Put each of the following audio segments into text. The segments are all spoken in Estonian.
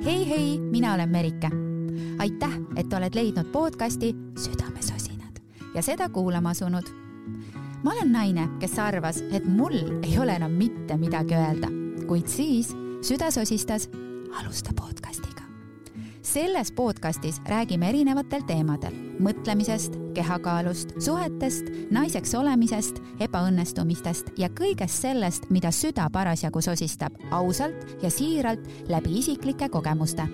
Hei, mina olen Merike. Aitäh, et oled leidnud podcasti Südamesosinad ja seda kuulama asunud. Ma olen naine, kes arvas, et mul ei ole enam mitte midagi öelda, kuid siis süda sosistas alusta podcastiga. Selles podcastis räägime erinevatel teemadel, mõtlemisest, kehakaalust, suhetest, naiseks olemisest, ebaõnnestumistest ja kõigest sellest, mida süda parasjagu sosistab ausalt ja siiralt läbi isiklike kogemuste.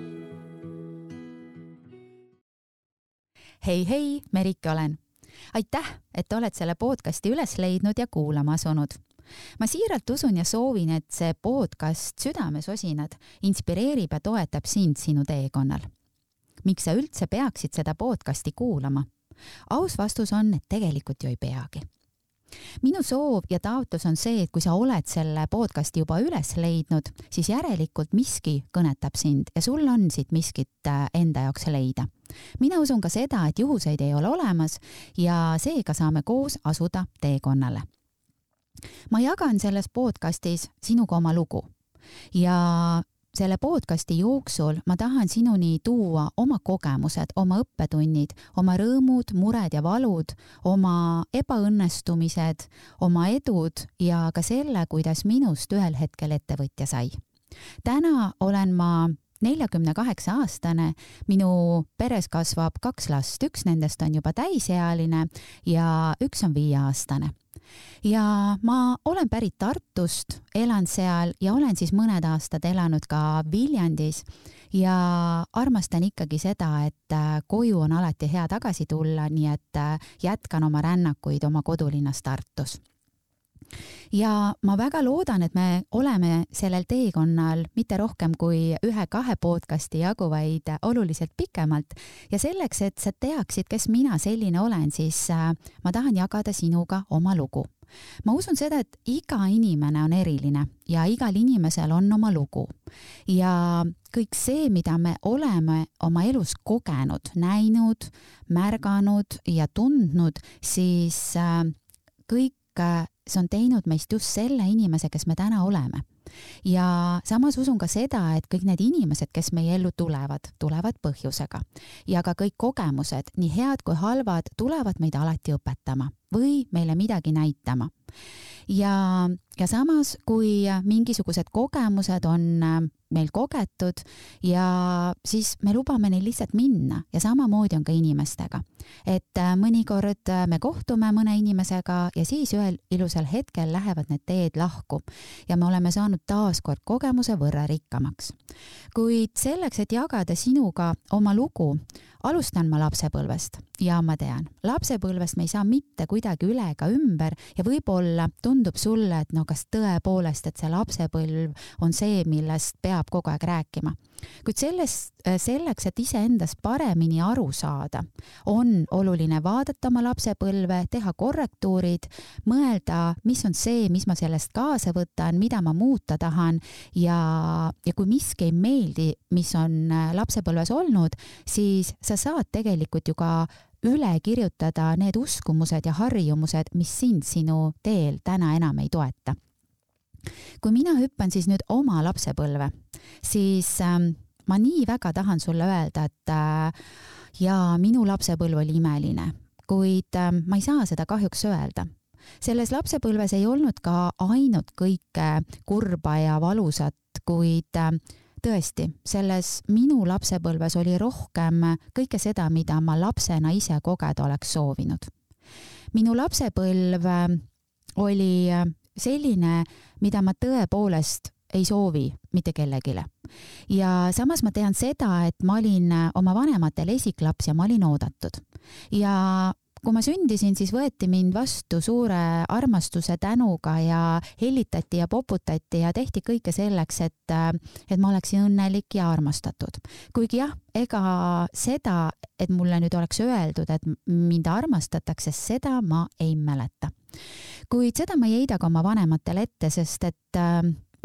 Hei, Merike olen. Aitäh, et oled selle podcasti üles leidnud ja kuulama asunud. Ma siiralt usun ja soovin, et see podcast Südamesosinad inspireerib ja toetab sind sinu teekonnal. Miks sa üldse peaksid seda podcasti kuulama? Aus vastus on, et tegelikult ju ei peagi. Minu soov ja taotlus on see, et kui sa oled selle podcasti juba üles leidnud, siis järelikult miski kõnetab sind ja sul on siit miskit enda jaoks leida. Mina usun ka seda, et juhuseid ei ole olemas ja seega saame koos asuda teekonnale. Ma jagan selles podcastis sinuga oma lugu ja selle podcasti jooksul ma tahan sinuni tuua oma kogemused, oma õppetunnid, oma rõõmud, mured ja valud, oma ebaõnnestumised, oma edud ja ka selle, kuidas minust ühel hetkel ettevõtja sai. Täna olen ma 48-aastane, minu peres kasvab 2 last, üks nendest on juba täisealine ja üks on 5-aastane. Ja ma olen pärit Tartust, elan seal ja olen siis mõned aastad elanud ka Viljandis ja armastan ikkagi seda, et koju on alati hea tagasi tulla, nii et jätkan oma rännakuid oma kodulinnas Tartus. Ja ma väga loodan, et me oleme sellel teekonnal mitte rohkem kui 1-2 podcasti jagu, vaid oluliselt pikemalt. Ja selleks, et sa teaksid, kes mina selline olen, siis ma tahan jagada sinuga oma lugu. Ma usun seda, et iga inimene on eriline ja igal inimesel on oma lugu. Ja kõik see, mida me oleme oma elus kogenud, näinud, märganud ja tundnud, siis kõik see on teinud meist just selle inimese, kes me täna oleme. Ja samas usun ka seda, et kõik need inimesed, kes meie ellu tulevad põhjusega. Ja ka kõik kogemused, nii head kui halvad, tulevad meid alati õpetama või meile midagi näitama. Ja samas, kui mingisugused kogemused on meil kogetud ja siis me lubame neil lihtsalt minna ja samamoodi on ka inimestega. Et mõnikord me kohtume mõne inimesega ja siis ühel ilusal hetkel lähevad need teed lahku ja me oleme saanud taaskord kogemuse võrra rikkamaks. Kuid selleks, et jagada sinuga oma lugu, alustan ma lapsepõlvest ja ma tean, lapsepõlvest me ei saa mitte kuidagi üle ega ümber ja võib-olla tundub sulle, et kas tõepoolest, et see lapsepõlv on see, millest peab kogu aeg rääkima. Kuid selleks, et iseendast paremini aru saada, on oluline vaadata oma lapsepõlve, teha korrektuurid, mõelda, mis on see, mis ma sellest kaasa võtan, mida ma muuta tahan ja kui miski ei meeldi, mis on lapsepõlves olnud, siis sa saad tegelikult ju ka üle kirjutada need uskumused ja harjumused, mis sind sinu teel täna enam ei toeta. Kui mina hüppan siis nüüd oma lapsepõlve, siis ma nii väga tahan sulle öelda, et minu lapsepõlv oli imeline, kuid ma ei saa seda kahjuks öelda. Selles lapsepõlves ei olnud ka ainult kõike kurba ja valusat, kuid tõesti, selles minu lapsepõlves oli rohkem kõike seda, mida ma lapsena ise kogeda oleks soovinud. Minu lapsepõlv oli selline, mida ma tõepoolest ei soovi mitte kellegile. Ja samas ma tean seda, et ma olin oma vanematel esiklaps ja ma olin oodatud. Ja kui ma sündisin, siis võeti mind vastu suure armastuse tänuga ja hellitati ja poputati ja tehti kõike selleks, et ma oleksin õnnelik ja armastatud. Kuigi jah, ega seda, et mulle nüüd oleks öeldud, et mind armastatakse, seda ma ei mäleta. Kuid seda ma ei heida ka oma vanematele ette, sest et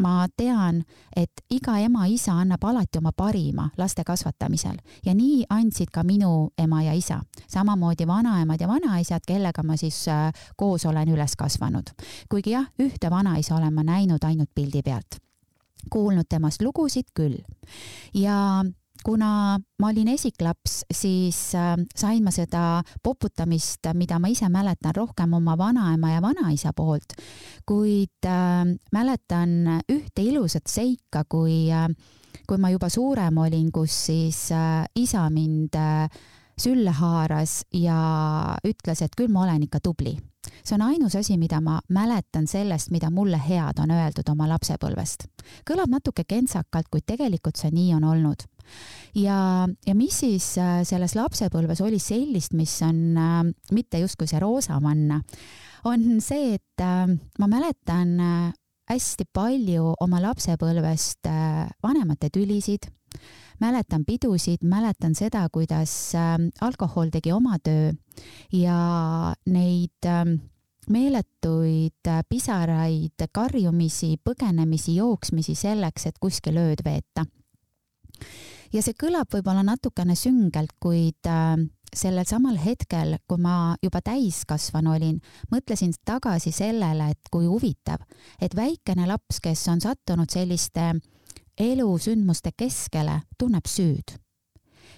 ma tean, et iga ema-isa annab alati oma parima laste kasvatamisel ja nii andsid ka minu ema ja isa. Samamoodi vanaemad ja vanaisad, kellega ma siis koos olen üles kasvanud. Kuigi jah, ühte vanaisa olen ma näinud ainult pildi pealt. kuulnud temast lugusid küll. Ja kuna ma olin esiklaps, siis sain ma seda poputamist, mida ma ise mäletan rohkem oma vanaema ja vanaisa poolt, kuid mäletan ühte ilusat seika, kui ma juba suurem olin, kus siis isa mind sülle haaras ja ütles, et küll ma olen ikka tubli. See on ainus asi, mida ma mäletan sellest, mida mulle head on öeldud oma lapsepõlvest. Kõlab natuke kentsakalt, kuid tegelikult see nii on olnud. Ja mis siis selles lapsepõlves oli sellist, mis on mitte justkui see roosamanna, on see, et ma mäletan hästi palju oma lapsepõlvest vanemate tülisid, mäletan pidusid, mäletan seda, kuidas alkohol tegi oma töö ja neid meeletuid pisaraid, karjumisi, põgenemisi, jooksmisi selleks, et kuskil ööd veeta. Ja see kõlab võib-olla natukene süngelt, kuid sellel samal hetkel, kui ma juba täiskasvanu olin, mõtlesin tagasi sellele, et kui huvitav, et väikene laps, kes on sattunud selliste elusündmuste keskele, tunneb süüd.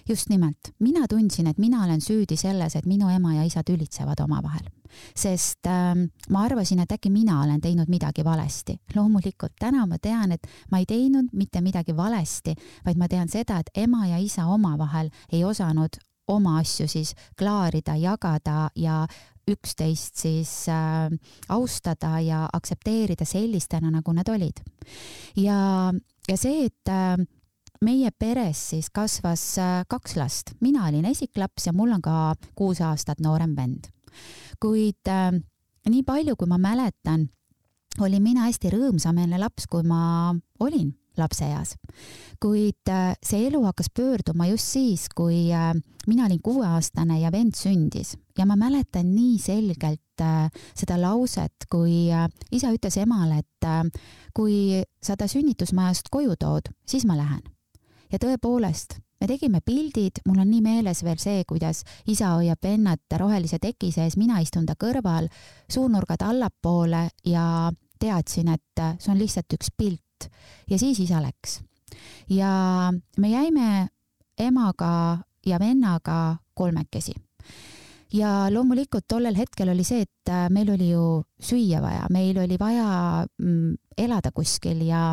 Just nimelt, mina tundsin, et mina olen süüdi selles, et minu ema ja isa tülitsevad omavahel. Sest ma arvasin, et äkki mina olen teinud midagi valesti. Loomulikult täna ma tean, et ma ei teinud mitte midagi valesti, vaid ma tean seda, et ema ja isa omavahel ei osanud oma asju siis klaarida, jagada ja üksteist siis austada ja aktsepteerida sellistena, nagu nad olid. Ja see, et meie peres siis kasvas 2 last. Mina olin esiklaps ja mul on ka 6 aastat noorem vend. Kuid nii palju, kui ma mäletan, olin mina hästi rõõmsameelne laps, kui ma olin lapseeas. Kuid see elu hakkas pöörduma just siis, kui mina olin 6-aastane ja vend sündis. Ja ma mäletan nii selgelt seda lauset, kui isa ütles emale, et kui sa ta sünnitusmajast koju tood, siis ma lähen. Ja tõepoolest, me tegime pildid, mul on nii meeles veel see, kuidas isa hoiab vennat rohelise teki sees, mina istun ta kõrval, suunurgad allapoole ja teadsin, et see on lihtsalt üks pilt. Ja siis isa läks. Ja me jäime emaga ja vennaga 3. Ja loomulikult tollel hetkel oli see, et meil oli ju süüa vaja, meil oli vaja elada kuskil ja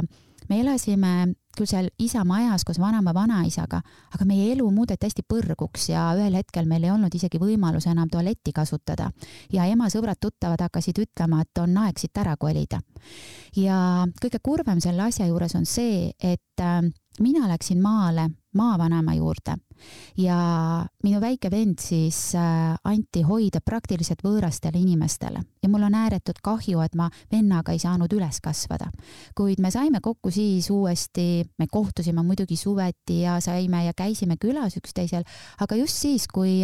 me elasime küll seal isa majas koos vanema vanaisaga, aga meie elu muudeti hästi põrguks ja ühel hetkel meil ei olnud isegi võimalus enam tualetti kasutada. Ja ema sõbrad tuttavad hakkasid ütlema, et on aeg siit ära kolida. Ja kõige kurvem selle asja juures on see, et mina läksin maale maavanema juurde ja minu väike vend siis anti hoida praktiliselt võõrastele inimestele. Ja mul on ääretult kahju, et ma vennaga ei saanud üles kasvada. Kuid me saime kokku siis uuesti, me kohtusime muidugi suveti ja saime ja käisime külas üksteisel, aga just siis, kui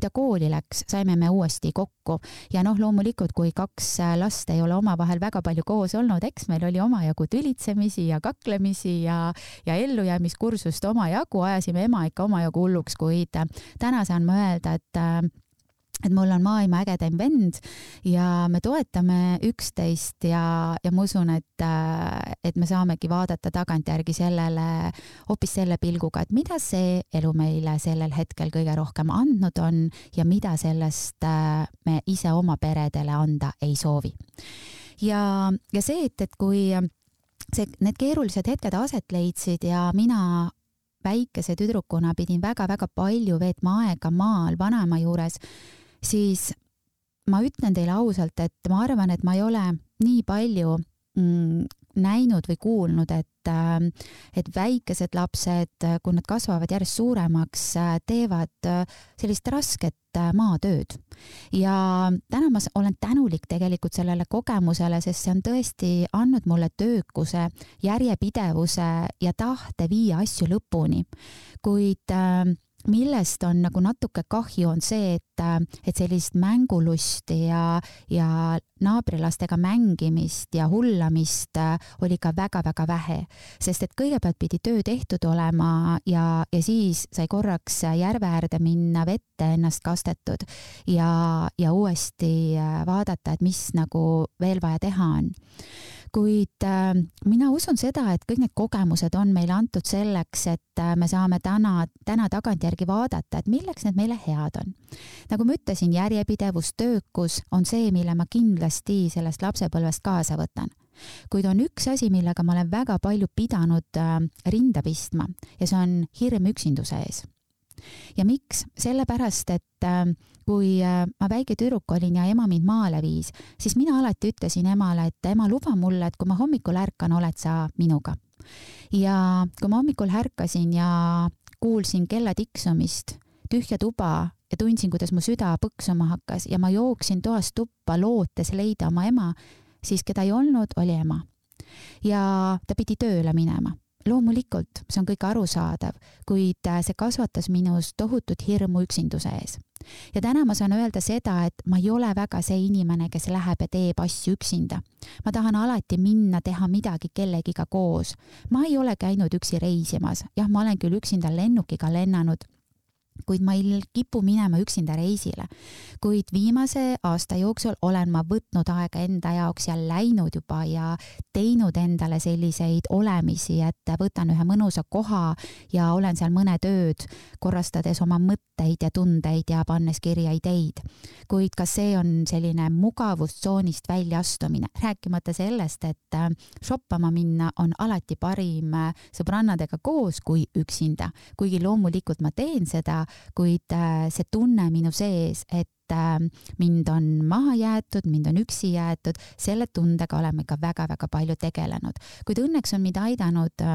ta kooli läks, saime me uuesti kokku. Ja loomulikult, kui 2 last ei ole omavahel väga palju koos olnud, eks meil oli omajagu tülitsemisi ja kaklemisi ja ellujäämiskursust omajagu, ajasime ema ikka omajagu hulluks, kuid täna saan ma öelda, et mul on maailma ägedaim vend ja me toetame üksteist ja ma usun, et me saamegi vaadata tagantjärgi sellele, hoopis selle pilguga, et mida see elu meile sellel hetkel kõige rohkem andnud on ja mida sellest me ise oma peredele anda ei soovi. Ja see, et kui need keerulised hetked aset leidsid ja mina väikese tüdrukuna pidin väga-väga palju veetma aega maal vanaema juures, siis ma ütlen teile ausalt, et ma arvan, et ma ei ole nii palju näinud või kuulnud, et väikesed lapsed, kui nad kasvavad järjest suuremaks, teevad sellist rasket maatööd. Ja täna ma olen tänulik tegelikult sellele kogemusele, sest see on tõesti andnud mulle töökuse, järjepidevuse ja tahte viia asju lõpuni. Kuid millest on nagu natuke kahju on see, et sellist mängulusti ja naabrilastega mängimist ja hullamist oli ka väga-väga vähe, sest et kõigepealt pidi töö tehtud olema ja siis sai korraks järve äärde minna, vette ennast kastetud ja uuesti vaadata, et mis nagu veel vaja teha on. kuid mina usun seda, et kõik need kogemused on meile antud selleks, et me saame täna tagantjärgi vaadata, et milleks need meile head on. Nagu ma ütlesin, järjepidevus, töökus on see, mille ma kindlasti sellest lapsepõlvest kaasa võtan. Kuid on üks asi, millega ma olen väga palju pidanud rinda pistma ja see on hirm üksinduse ees. Ja miks? Sellepärast, et kui ma väike tüdruk olin ja ema mind maale viis, siis mina alati ütlesin emale, et ema, luba mulle, et kui ma hommikul ärkan, oled sa minuga. Ja kui ma hommikul ärkasin ja kuulsin kella tiksumist, tühja tuba ja tundsin, kuidas mu süda põksuma hakkas ja ma jooksin toast tuppa lootes leida oma ema, siis keda ei olnud, oli ema. Ja ta pidi tööle minema. Loomulikult, see on kõik arusaadav, kuid see kasvatas minus tohutut hirmu üksinduse ees. Ja täna ma saan öelda seda, et ma ei ole väga see inimene, kes läheb ja teeb asju üksinda. Ma tahan alati minna teha midagi kellegiga koos. Ma ei ole käinud üksi reisimas. Jah, ma olen küll üksinda lennukiga lennanud, kuid ma ei kipu minema üksinda reisile. Kuid viimase aasta jooksul olen ma võtnud aega enda jaoks ja läinud juba ja teinud endale selliseid olemisi, et võtan ühe mõnusa koha ja olen seal mõned ööd, korrastades oma mõtteid ja tundeid ja pannes kirja ideid. Kuid ka see on selline mugavustsoonist väljaastumine, rääkimata sellest, et shoppama minna on alati parim sõbrannadega koos kui üksinda. Kuigi loomulikult ma teen seda, kuid see tunne minu sees, et mind on maha jäetud, mind on üksi jäetud, selle tundega oleme ka väga-väga palju tegelenud. Kuid õnneks on mind aidanud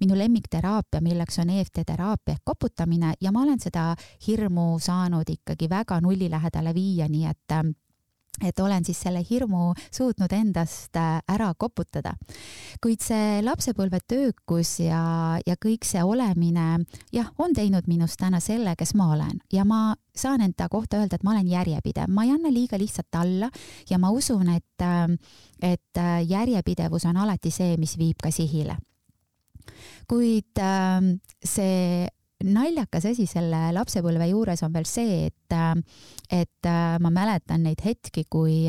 minu lemmikteraapia, milleks on EFT-teraapia ehk koputamine ja ma olen seda hirmu saanud ikkagi väga nulli lähedale viia, nii et olen siis selle hirmu suutnud endast ära koputada. Kuid see lapsepõlve töökus ja kõik see olemine, jah, on teinud minust täna selle, kes ma olen. Ja ma saan enda kohta öelda, et ma olen järjepidev. Ma ei anna liiga lihtsalt alla ja ma usun, et järjepidevus on alati see, mis viib ka sihile. Kuid see naljakas asi selle lapsepõlve juures on veel see, et ma mäletan neid hetki, kui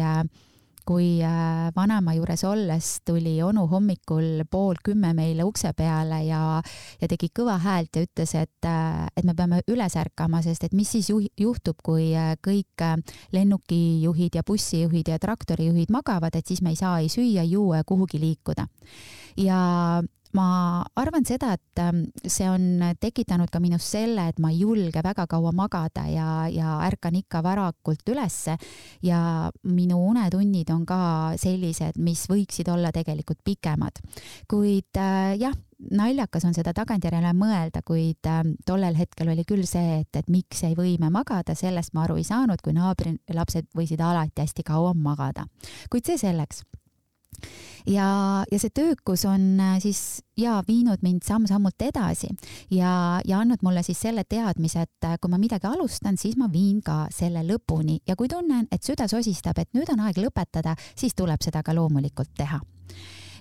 vanema juures olles tuli onu hommikul 9:30 meile ukse peale ja tegi kõva häält ja ütles, et me peame üles ärkama, sest et mis siis juhtub, kui kõik lennukijuhid ja bussijuhid ja traktorijuhid magavad, et siis me ei saa ei süüa, juua ja kuhugi liikuda. Ja ma arvan seda, et see on tekitanud ka minus selle, et ma ei julge väga kaua magada ja ärkan ikka varakult ülesse ja minu unetunnid on ka sellised, mis võiksid olla tegelikult pikemad. Kuid jah, naljakas on seda tagantjärele mõelda, kuid tollel hetkel oli küll see, et miks ei või me magada, sellest ma aru ei saanud, kui naabri lapsed võisid alati hästi kaua magada. Kuid see selleks. Ja see töökus on siis viinud mind samm-sammult edasi ja andnud mulle siis selle teadmise, et kui ma midagi alustan, siis ma viin ka selle lõpuni ja kui tunnen, et süda sosistab, et nüüd on aeg lõpetada, siis tuleb seda ka loomulikult teha.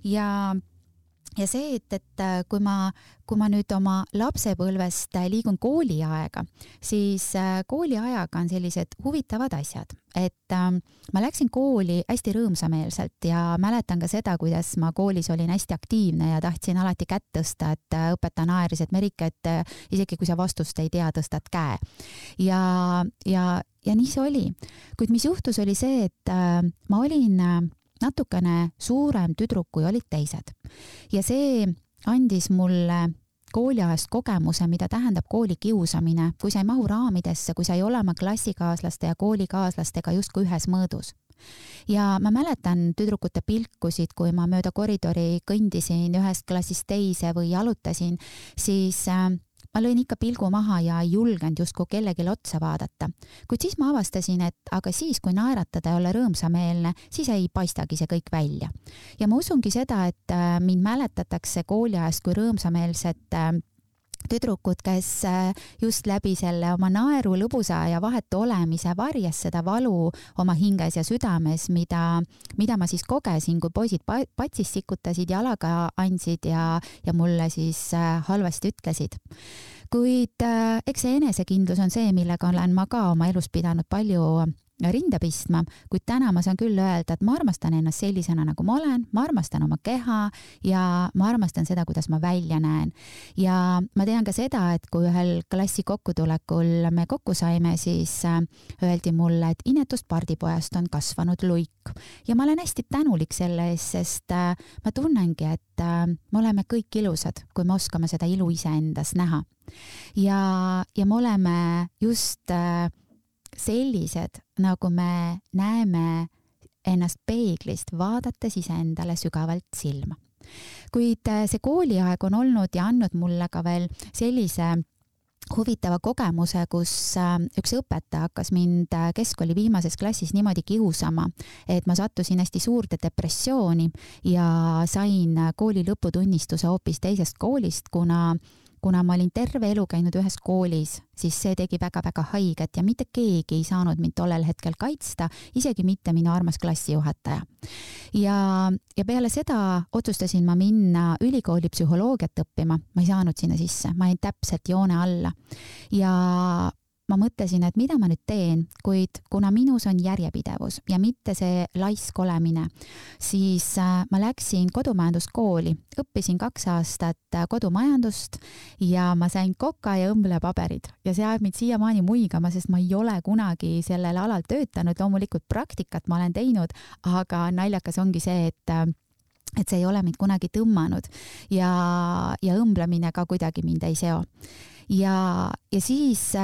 Ja see, et kui ma nüüd oma lapsepõlvest liigun kooliaega, siis kooliajaga on sellised huvitavad asjad, et ma läksin kooli hästi rõõmsameelselt ja mäletan ka seda, kuidas ma koolis olin hästi aktiivne ja tahtsin alati kätt tõsta, et õpetaja naeris, et Merike, et isegi kui sa vastust ei tea, tõstad käe. Ja nii see oli. Kuid mis juhtus, oli see, et ma olin natukene suurem tüdruk, kui olid teised. Ja see andis mulle kooliajast kogemuse, mida tähendab kooli kiusamine, kui sa ei mahu raamidesse, kui sa ei ole oma klassikaaslaste ja koolikaaslastega justkui ühes mõõdus. Ja ma mäletan tüdrukute pilkusid, kui ma mööda koridori kõndisin ühest klassist teise või jalutasin, siis ma lõin ikka pilgu maha ja ei julgenud justkui kellelegi otsa vaadata. Kuid siis ma avastasin, et aga siis, kui naeratada ja olla rõõmsameelne, siis ei paistagi see kõik välja. Ja ma usungi seda, et mind mäletatakse kooliajast kui rõõmsameelset tüdrukud, kes just läbi selle oma naeru, lõbusa ja vahetu olemise varjas seda valu oma hinges ja südames, mida ma siis kogesin, kui poisid patsis sikutasid, jalaga andsid ja mulle siis halvasti ütlesid. Kuid eks see enesekindlus on see, millega olen ma ka oma elus pidanud palju rinda pistma, kuid täna ma saan küll öelda, et ma armastan ennast sellisena, nagu ma olen, ma armastan oma keha ja ma armastan seda, kuidas ma välja näen. Ja ma tean ka seda, et kui ühel klassi kokkutulekul me kokku saime, siis öeldi mulle, et inetust pardipojast on kasvanud luik. Ja ma olen hästi tänulik selle eest, sest ma tunnengi, et me oleme kõik ilusad, kui me oskame seda ilu iseendas näha. Ja me oleme just sellised, nagu me näeme ennast peeglist, vaadates iseendale sügavalt silma. Kuid see kooliaeg on olnud ja andnud mulle ka veel sellise huvitava kogemuse, kus üks õpetaja hakkas mind keskkooli viimases klassis niimoodi kiusama, et ma sattusin hästi suurde depressiooni ja sain kooli lõputunnistuse hoopis teisest koolist, kuna ma olin terve elu käinud ühes koolis, siis see tegi väga-väga haiget ja mitte keegi ei saanud mind tollel hetkel kaitsta, isegi mitte minu armas klassijuhataja. Ja peale seda otsustasin ma minna ülikooli psühholoogiat õppima, ma ei saanud sinna sisse, ma jäin täpselt joone alla. Ja ma mõtlesin, et mida ma nüüd teen, kuid kuna minus on järjepidevus ja mitte see laisk olemine, siis ma läksin kodumajanduskooli, õppisin 2 aastat kodumajandust ja ma sain koka ja õmblepaberid ja see ajab mind siiamaani muigama, sest ma ei ole kunagi sellel alal töötanud, loomulikult praktikat ma olen teinud, aga naljakas ongi see, et see ei ole mind kunagi tõmmanud ja õmblemine ka kuidagi mind ei seo. Ja siis,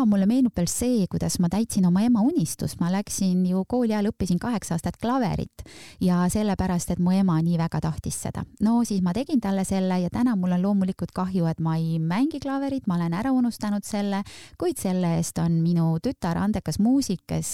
mulle meenub veel see, kuidas ma täitsin oma ema unistust. Ma läksin ju kooli ajal, õppisin 8 aastat klaverit ja sellepärast, et mu ema nii väga tahtis seda. No siis ma tegin talle selle ja täna mul on loomulikult kahju, et ma ei mängi klaverit, ma olen ära unustanud selle, kuid selle eest on minu tütar andekas muusik, kes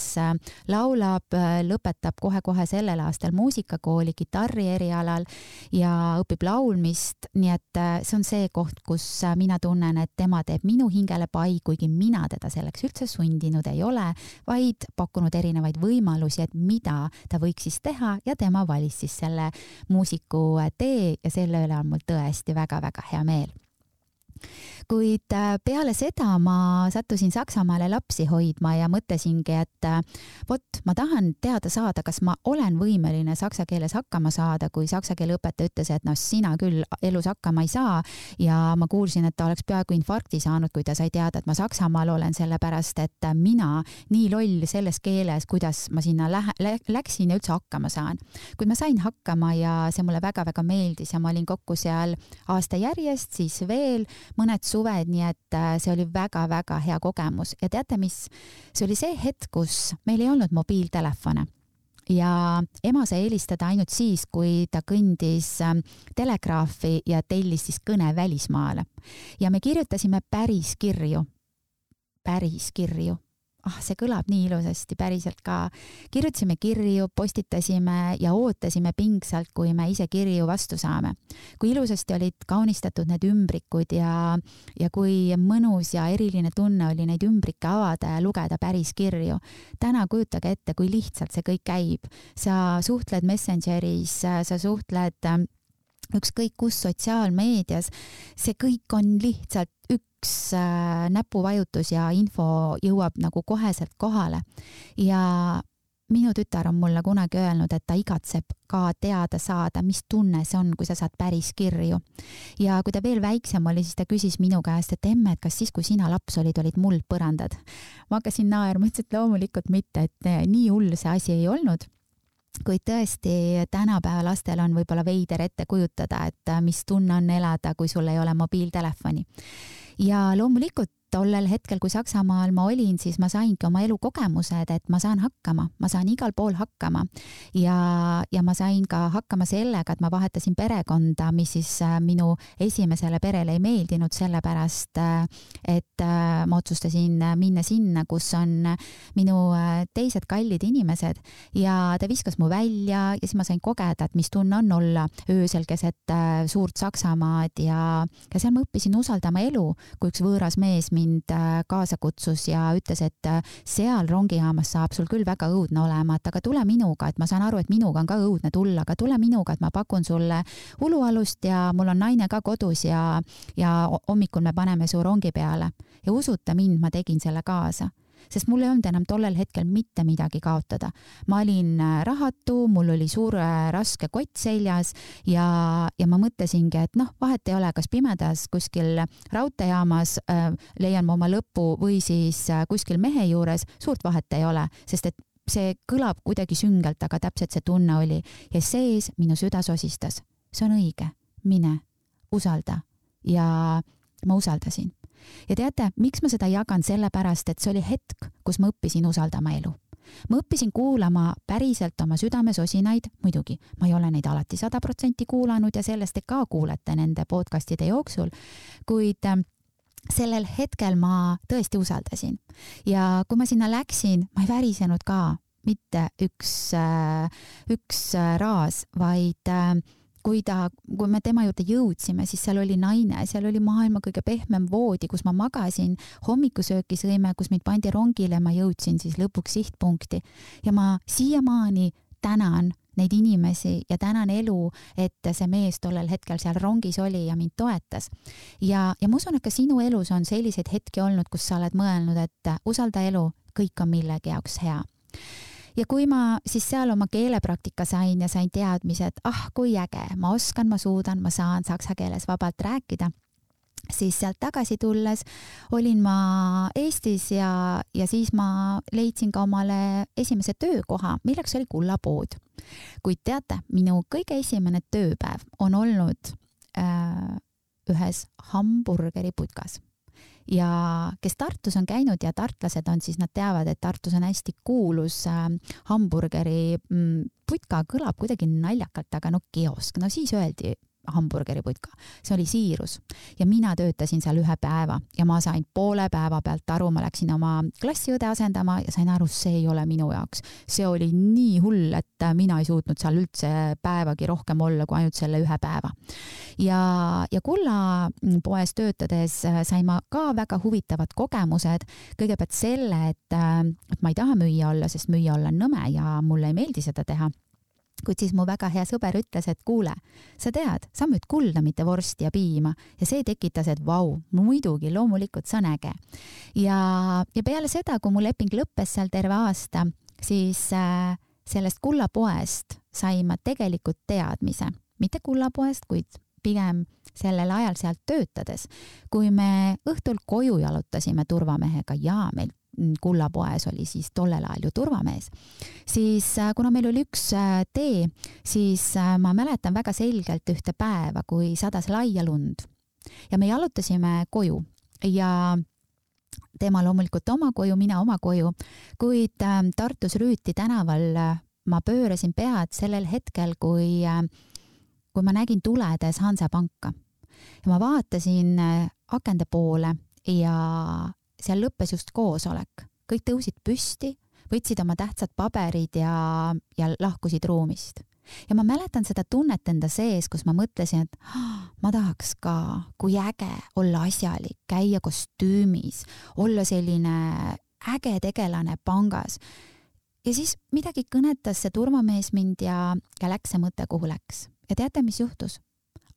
laulab, lõpetab kohe-kohe sellel aastal muusikakooli kitarri erialal ja õpib laulmist, nii et see on see koht, kus mina tunnen, et tema teeb minu hingele pai, kuigi mina teda selleks üldse sundinud ei ole, vaid pakkunud erinevaid võimalusi, et mida ta võiks siis teha ja tema valis siis selle muusiku tee ja selle üle on mul tõesti väga-väga hea meel. Kuid peale seda ma sattusin Saksamaale lapsi hoidma ja mõtlesingi, et ma tahan teada saada, kas ma olen võimeline saksa keeles hakkama saada, kui saksa keele õpetaja ütles, et sina küll elus hakkama ei saa ja ma kuulsin, et ta oleks peaaegu infarkti saanud, kui ta sai teada, et ma Saksamaal olen, sellepärast et mina nii loll selles keeles, kuidas ma sinna läksin ja üldse hakkama saan. Kuid ma sain hakkama ja see mulle väga-väga meeldis ja ma olin kokku seal aasta järjest, siis veel mõned suved, nii et see oli väga-väga hea kogemus. Ja teate mis? See oli see hetk, kus meil ei olnud mobiiltelefone ja ema sai helistada ainult siis, kui ta kõndis telegraafi ja tellis siis kõne välismaale. Ja me kirjutasime päris kirju. See kõlab nii ilusasti, päriselt ka. Kirjutasime kirju, postitasime ja ootasime pingsalt, kui me ise kirju vastu saame. Kui ilusasti olid kaunistatud need ümbrikud ja kui mõnus ja eriline tunne oli neid ümbrikke avada ja lugeda päris kirju. Täna kujutage ette, kui lihtsalt see kõik käib. Sa suhtled Messengeris, sa suhtled ükskõik kus sotsiaalmeedias, see kõik on lihtsalt üks näpuvajutus ja info jõuab nagu koheselt kohale. Ja minu tütar on mulle kunagi öelnud, et ta igatseb ka teada saada, mis tunne see on, kui sa saad päris kirju. Ja kui ta veel väiksem oli, siis ta küsis minu käest, et emme, et kas siis, kui sina laps olid muldpõrandad? Ma hakkasin naerma, ütlesin, et loomulikult mitte, et nii hull see asi ei olnud. Kuid tõesti tänapäeva lastel on võib-olla veider ette kujutada, et mis tunne on elada, kui sul ei ole mobiiltelefoni. Ja loomulikult tollel hetkel, kui Saksamaal ma olin, siis ma saingi oma elukogemused, et ma saan hakkama, ma saan igal pool hakkama ja ma sain ka hakkama sellega, et ma vahetasin perekonda, mis siis minu esimesele perele ei meeldinud, sellepärast et ma otsustasin minna sinna, kus on minu teised kallid inimesed ja ta viskas mu välja ja siis ma sain kogeda, et mis tunne on olla öösel keset suurt Saksamaad ja seal ma õppisin usaldama elu, kui üks võõras mees mind kaasa kutsus ja ütles, et seal rongijaamas saab sul küll väga õudne olema, et aga tule minuga, et ma saan aru, et minuga on ka õudne tulla, aga tule minuga, et ma pakun sulle ulualust ja mul on naine ka kodus ja hommikul me paneme su rongi peale. Ja usuta mind, ma tegin selle kaasa. sest mul ei olnud enam tollel hetkel mitte midagi kaotada. Ma olin rahatu, mul oli suur raske kott seljas ja ma mõtlesingi, et vahet ei ole, kas pimedas kuskil raudteejaamas leian ma oma lõpu või siis kuskil mehe juures, suurt vahet ei ole, sest et see kõlab kuidagi süngelt, aga täpselt see tunne oli ja sees minu süda sosistas. See on õige, mine, usalda ja ma usaldasin. Ja teate, miks ma seda jagan? Sellepärast, et see oli hetk, kus ma õppisin usaldama elu. Ma õppisin kuulama päriselt oma südamesosinaid, muidugi, ma ei ole neid alati 100% kuulanud ja sellest te ka kuulete nende podcastide jooksul, kuid sellel hetkel ma tõesti usaldasin. Ja kui ma sinna läksin, ma ei värisenud ka mitte üks raas, vaid kui me tema juurde jõudsime, siis seal oli naine, seal oli maailma kõige pehmem voodi, kus ma magasin, hommikusööki sõime, kus mind pandi rongile, ma jõudsin siis lõpuks sihtpunkti. Ja ma siiamaani tänan neid inimesi ja tänan elu, et see mees tollel hetkel seal rongis oli ja mind toetas. Ja ma usun, et ka sinu elus on selliseid hetki olnud, kus sa oled mõelnud, et usalda elu, kõik on millegi jaoks hea. Ja kui ma siis seal oma keelepraktika sain ja sain teadmised, kui äge, ma oskan, ma suudan, ma saan saksa keeles vabalt rääkida, siis sealt tagasi tulles olin ma Eestis ja siis ma leidsin ka omale esimese töökoha, milleks oli Kullapood. Kuid teate, minu kõige esimene tööpäev on olnud ühes hamburgeriputkas. Ja kes Tartus on käinud ja tartlased on, siis nad teavad, et Tartus on hästi kuulus hamburgeri putka, kõlab kuidagi naljakalt, aga kiosk, siis öeldi hamburgeriputka. See oli Siirus ja mina töötasin seal 1 päeva ja ma sain poole päeva pealt aru, ma läksin oma klassiõde asendama ja sain aru, see ei ole minu jaoks. See oli nii hull, et mina ei suutnud seal üldse päevagi rohkem olla kui ainult selle 1 päeva. Ja Kullapoes töötades sain ma ka väga huvitavad kogemused. Kõigepealt selle, et ma ei taha müüa olla, sest müüa olla on nõme ja mulle ei meeldi seda teha. Kuid siis mu väga hea sõber ütles, et kuule, sa tead, sa müüd kulda, mitte vorsti ja piima. Ja see tekitas, et vau, muidugi, loomulikult see on äge. Ja peale seda, kui mu leping lõppes seal terve aasta, siis sellest Kullapoest sain ma tegelikult teadmise. Mitte Kullapoest, kuid pigem sellel ajal sealt töötades. Kui me õhtul koju jalutasime turvamehega ja meil Kullapoes oli siis tollel ajal ju turvamees, siis kuna meil oli üks tee, siis ma mäletan väga selgelt ühte päeva, kui sadas laia lund ja me jalutasime koju ja tema loomulikult oma koju, mina oma koju, kuid Tartus Rüüti tänaval ma pöörasin pead sellel hetkel, kui ma nägin tuledes Hansapanka ja ma vaatasin akende poole ja seal lõppes just koosolek. Kõik tõusid püsti, võtsid oma tähtsad paberid ja lahkusid ruumist. Ja ma mäletan seda tunnet enda sees, kus ma mõtlesin, et ma tahaks ka, kui äge olla asjalik, käia kostüümis, olla selline äge tegelane pangas. Ja siis midagi kõnetas see turvamees mind ja läks see mõte, kuhu läks. Ja teate, mis juhtus?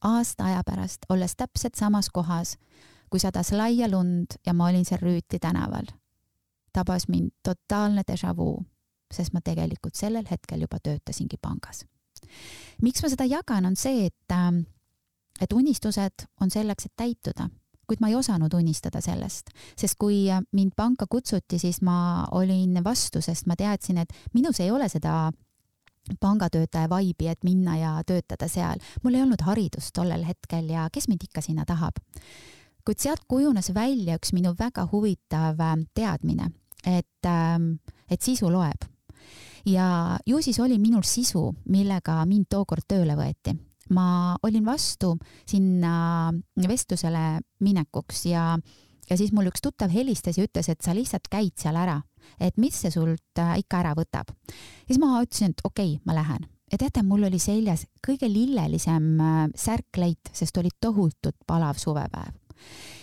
Aasta aja pärast, olles täpselt samas kohas, kui sadas laia lund ja ma olin seal Rüüti tänaval, tabas mind totaalne déjà vu, sest ma tegelikult sellel hetkel juba töötasingi pangas. Miks ma seda jagan, on see, et unistused on selleks, et täituda, kuid ma ei osanud unistada sellest, sest kui mind panka kutsuti, siis ma olin vastu, sest ma teadsin, et minus ei ole seda pangatöötaja vaibi, et minna ja töötada seal. Mul ei olnud haridust tollel hetkel ja kes mind ikka sinna tahab. Kuid sealt kujunes välja üks minu väga huvitav teadmine, et sisu loeb. Ja ju siis oli minul sisu, millega mind tookord tööle võeti. Ma olin vastu sinna vestlusele minekuks ja siis mul üks tuttav helistas ja ütles, et sa lihtsalt käid seal ära, et mis see sult ikka ära võtab. Ja siis ma ütlesin, et okei, ma lähen. Ja teate, mul oli seljas kõige lillelisem särkleit, sest oli tohutult palav suvepäev.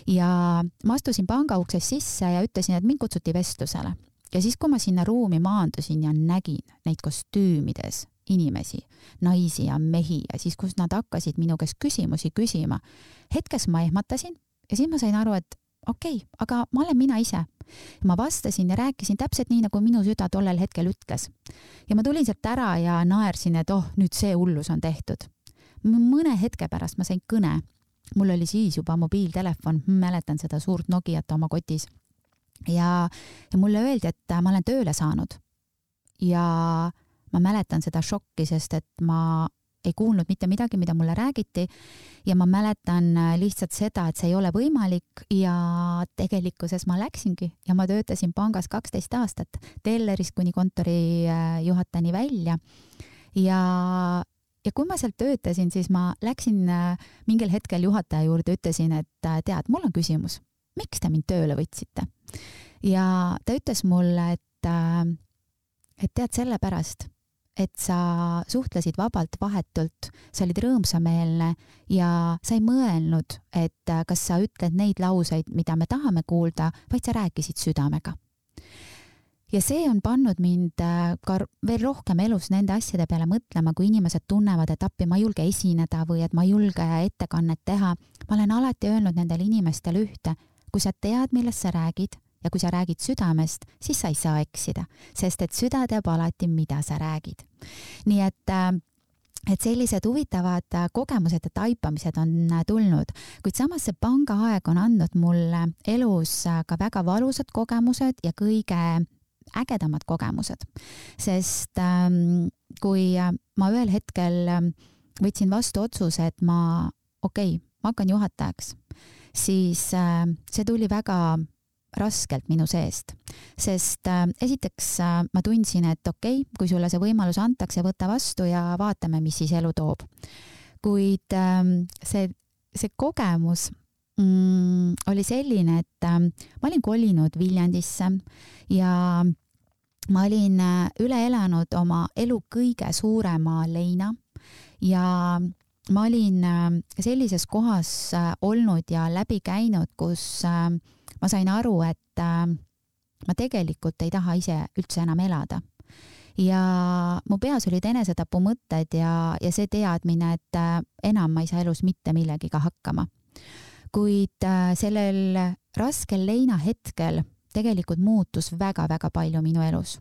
Ja ma astusin panga ukses sisse ja ütlesin, et mind kutsuti vestlusele. Ja siis, kui ma sinna ruumi maandusin ja nägin neid kostüümides inimesi, naisi ja mehi ja siis, kus nad hakkasid minu käest küsimusi küsima, hetkes ma ehmatasin ja siis ma sain aru, et okei, aga ma olen mina ise. Ma vastasin ja rääkisin täpselt nii, nagu minu süda tollel hetkel ütles. Ja ma tulin sealt ära ja naersin, et nüüd see hullus on tehtud. Mõne hetke pärast ma sain kõne. Mul oli siis juba mobiiltelefon, mäletan seda suurt Nokiat oma kotis. Ja mulle öeldi, et ma olen tööle saanud. Ja ma mäletan seda šokki, sest et ma ei kuulnud mitte midagi, mida mulle räägiti ja ma mäletan lihtsalt seda, et see ei ole võimalik ja tegelikkuses ma läksingi ja ma töötasin pangas 12 aastat, tellerist kuni kontori juhatajani välja ja kui ma sealt töötasin, siis ma läksin mingil hetkel juhataja juurde, ütlesin, et tead, mul on küsimus, miks te mind tööle võtsite? Ja ta ütles mulle, et tead sellepärast, et sa suhtlesid vabalt vahetult, sa olid rõõmsameelne ja sa ei mõelnud, et kas sa ütled neid lauseid, mida me tahame kuulda, vaid sa rääkisid südamega. Ja see on pannud mind ka veel rohkem elus nende asjade peale mõtlema, kui inimesed tunnevad, et appi ma ei julge esineda või et ma ei julge ettekannet teha. Ma olen alati öelnud nendele inimestele ühte, kui sa tead, millest sa räägid, ja kui sa räägid südamest, siis sa ei saa eksida, sest et süda teab alati, mida sa räägid. Nii et sellised huvitavad kogemused ja taipamised on tulnud, kuid samas see pangaaeg on andnud mulle elus ka väga valusad kogemused ja kõige ägedamad kogemused. Sest kui ma ühel hetkel võtsin vastu otsuse, et ma hakkan juhatajaks, siis see tuli väga raskelt minu seest, sest esiteks ma tundsin, et kui sulle see võimalus antakse, võta vastu ja vaatame, mis siis elu toob. Kuid see kogemus oli selline, et ma olin kolinud Viljandisse ja ma olin üle elanud oma elu kõige suurema leina ja ma olin sellises kohas olnud ja läbi käinud, kus ma sain aru, et ma tegelikult ei taha ise üldse enam elada. Ja mu peas olid enesetapu mõtted ja see teadmine, et enam ma ei saa elus mitte millegiga hakkama. Kuid sellel raskel leina hetkel tegelikult muutus väga-väga palju minu elus.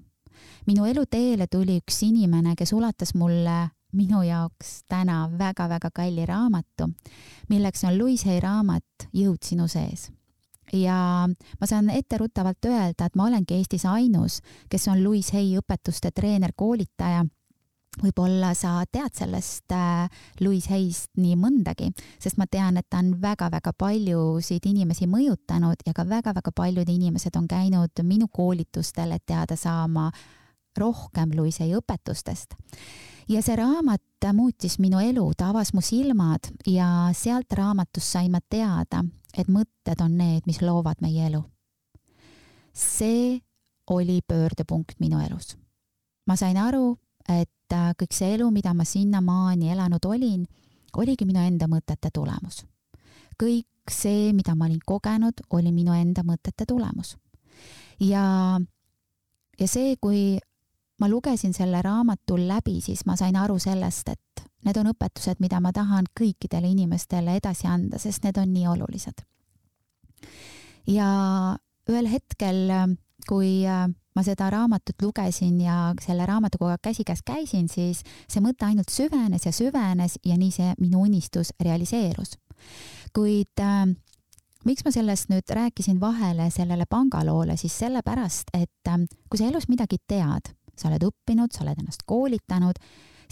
Minu elu teele tuli üks inimene, kes ulatas mulle minu jaoks täna väga-väga kalli raamatu, milleks on Louise Hay raamat Jõud sinu sees. Ja ma saan etteruttavalt öelda, et ma olengi Eestis ainus, kes on Louise Hay õpetuste treener, koolitaja. Võib-olla sa tead sellest Louise Hayst nii mõndagi, sest ma tean, et ta on väga-väga paljusid inimesi mõjutanud ja ka väga-väga paljud inimesed on käinud minu koolitustel, et teada saama rohkem Louise Hay õpetustest. Ja see raamat muutis minu elu, ta avas mu silmad ja sealt raamatust sain ma teada, et mõtted on need, mis loovad meie elu. See oli pöördepunkt minu elus. Ma sain aru, et kõik see elu, mida ma sinnamaani elanud olin, oligi minu enda mõtete tulemus. Kõik see, mida ma olin kogenud, oli minu enda mõtete tulemus. Ja see, kui ma lugesin selle raamatul läbi, siis ma sain aru sellest, et need on õpetused, mida ma tahan kõikidele inimestele edasi anda, sest need on nii olulised. Ja ühel hetkel, kui ma seda raamatut lugesin ja selle raamatuga käsikäes käisin, siis see mõte ainult süvenes ja nii see minu unistus realiseerus. Kuid miks ma sellest nüüd rääkisin vahele sellele pangaloole, siis sellepärast, et kui sa elus midagi tead, sa oled õppinud, sa oled ennast koolitanud,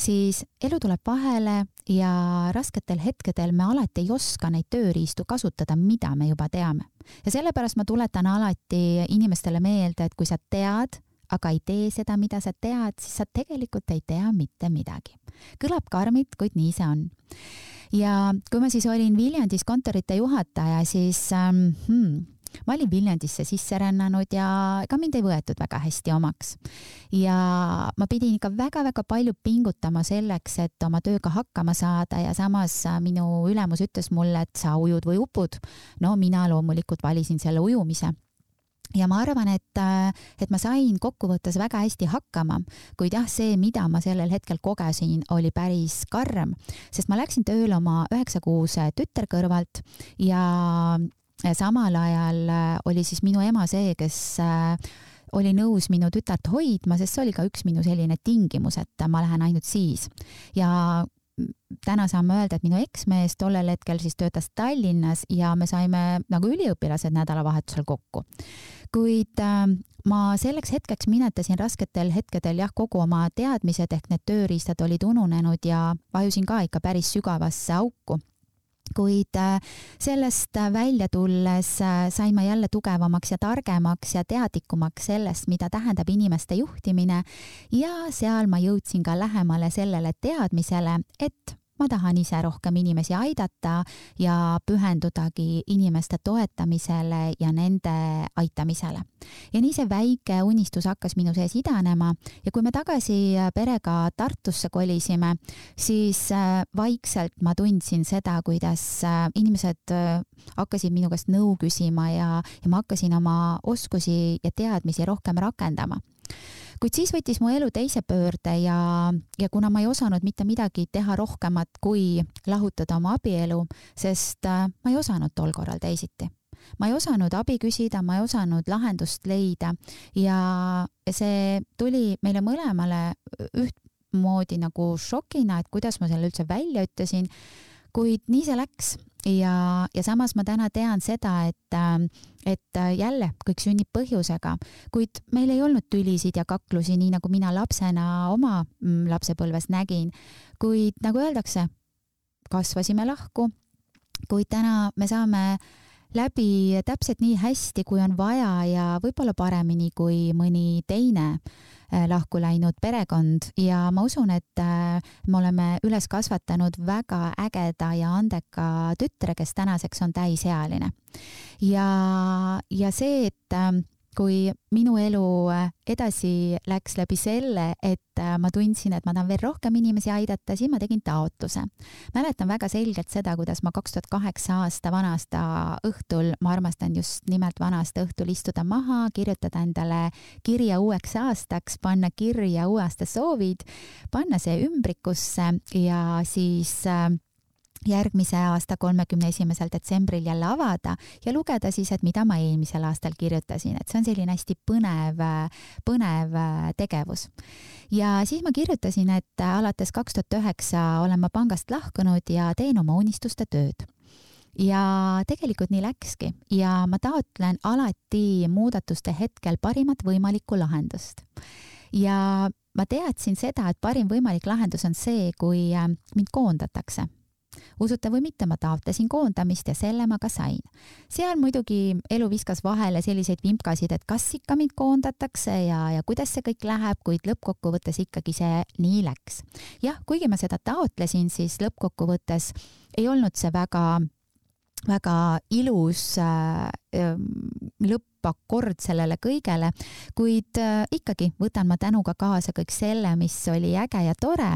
siis elu tuleb vahele ja rasketel hetkedel me alati ei oska neid tööriistu kasutada, mida me juba teame. Ja sellepärast ma tuletan alati inimestele meelde, et kui sa tead, aga ei tee seda, mida sa tead, siis sa tegelikult ei tea mitte midagi. Kõlab karmilt, kuid nii see on. Ja kui ma siis olin Viljandis kontorite juhataja, siis ma olin Viljandisse sisse rännanud ja ka mind ei võetud väga hästi omaks. Ja ma pidin ikka väga-väga palju pingutama selleks, et oma tööga hakkama saada ja samas minu ülemus ütles mulle, et sa ujud või upud. No mina loomulikult valisin selle ujumise. Ja ma arvan, et ma sain kokkuvõttes väga hästi hakkama, kuid jah, see, mida ma sellel hetkel kogesin, oli päris karm, sest ma läksin tööle oma 9-kuuse tütar kõrvalt ja samal ajal oli siis minu ema see, kes oli nõus minu tütart hoidma, sest see oli ka üks minu selline tingimus, et ma lähen ainult siis. Ja täna saame öelda, et minu eksmees tollel hetkel siis töötas Tallinnas ja me saime nagu üliõpilased nädalavahetusel kokku. Kuid ma selleks hetkeks minetasin rasketel hetkedel kogu oma teadmised ehk need tööriistad olid ununenud ja vajusin ka ikka päris sügavasse auku. Kuid sellest välja tulles sain ma jälle tugevamaks ja targemaks ja teadlikumaks sellest, mida tähendab inimeste juhtimine ja seal ma jõudsin ka lähemale sellele teadmisele, et ma tahan ise rohkem inimesi aidata ja pühendudagi inimeste toetamisele ja nende aitamisele. Ja nii see väike unistus hakkas minu sees idanema ja kui me tagasi perega Tartusse kolisime, siis vaikselt ma tundsin seda, kuidas inimesed hakkasid minu käest nõu küsima ja ma hakkasin oma oskusi ja teadmisi rohkem rakendama. Kuid siis võttis mu elu teise pöörde ja kuna ma ei osanud mitte midagi teha rohkemat kui lahutada oma abielu, sest ma ei osanud tol korral teisiti. Ma ei osanud abi küsida, ma ei osanud lahendust leida ja see tuli meile mõlemale ühtmoodi nagu šokina, et kuidas ma selle üldse välja ütlesin, kuid nii see läks. Ja samas ma täna tean seda, et jälle kõik sünnib põhjusega, kuid meil ei olnud tülisid ja kaklusi, nii nagu mina lapsena oma lapsepõlves nägin, kuid nagu öeldakse, kasvasime lahku, kuid täna me saame läbi täpselt nii hästi, kui on vaja ja võib-olla paremini kui mõni teine lahku läinud perekond ja ma usun, et me oleme üles kasvatanud väga ägeda ja andeka tütre, kes tänaseks on täisealine. Ja see, et kui minu elu edasi läks läbi selle, et ma tundsin, et ma tahan veel rohkem inimesi aidata, siis ma tegin taotluse. Mäletan väga selgelt seda, kuidas ma 2008 aasta vanaasta õhtul, ma armastan just nimelt vanaasta õhtul istuda maha, kirjutada endale kirja uueks aastaks, panna kirja uue aasta soovid, panna see ümbrikusse ja siis järgmise aasta 31. detsembril jälle avada ja lugeda siis, et mida ma eelmisel aastal kirjutasin, et see on selline hästi põnev tegevus. Ja siis ma kirjutasin, et alates 2009 olen ma pangast lahkunud ja teen oma unistuste tööd. Ja tegelikult nii läkski ja ma taotlen alati muudatuste hetkel parimat võimalikku lahendust. Ja ma teadsin seda, et parim võimalik lahendus on see, kui mind koondatakse. Usuta või mitte, ma taotlesin koondamist ja selle ma ka sain. Seal muidugi elu viskas vahele selliseid vimkasid, et kas ikka mind koondatakse ja kuidas see kõik läheb, kuid lõppkokkuvõttes ikkagi see nii läks. Jah, kuigi ma seda taotlesin, siis lõppkokkuvõttes ei olnud see väga ilus lõppakord sellele kõigele, kuid ikkagi võtan ma tänuga kaasa kõik selle, mis oli äge ja tore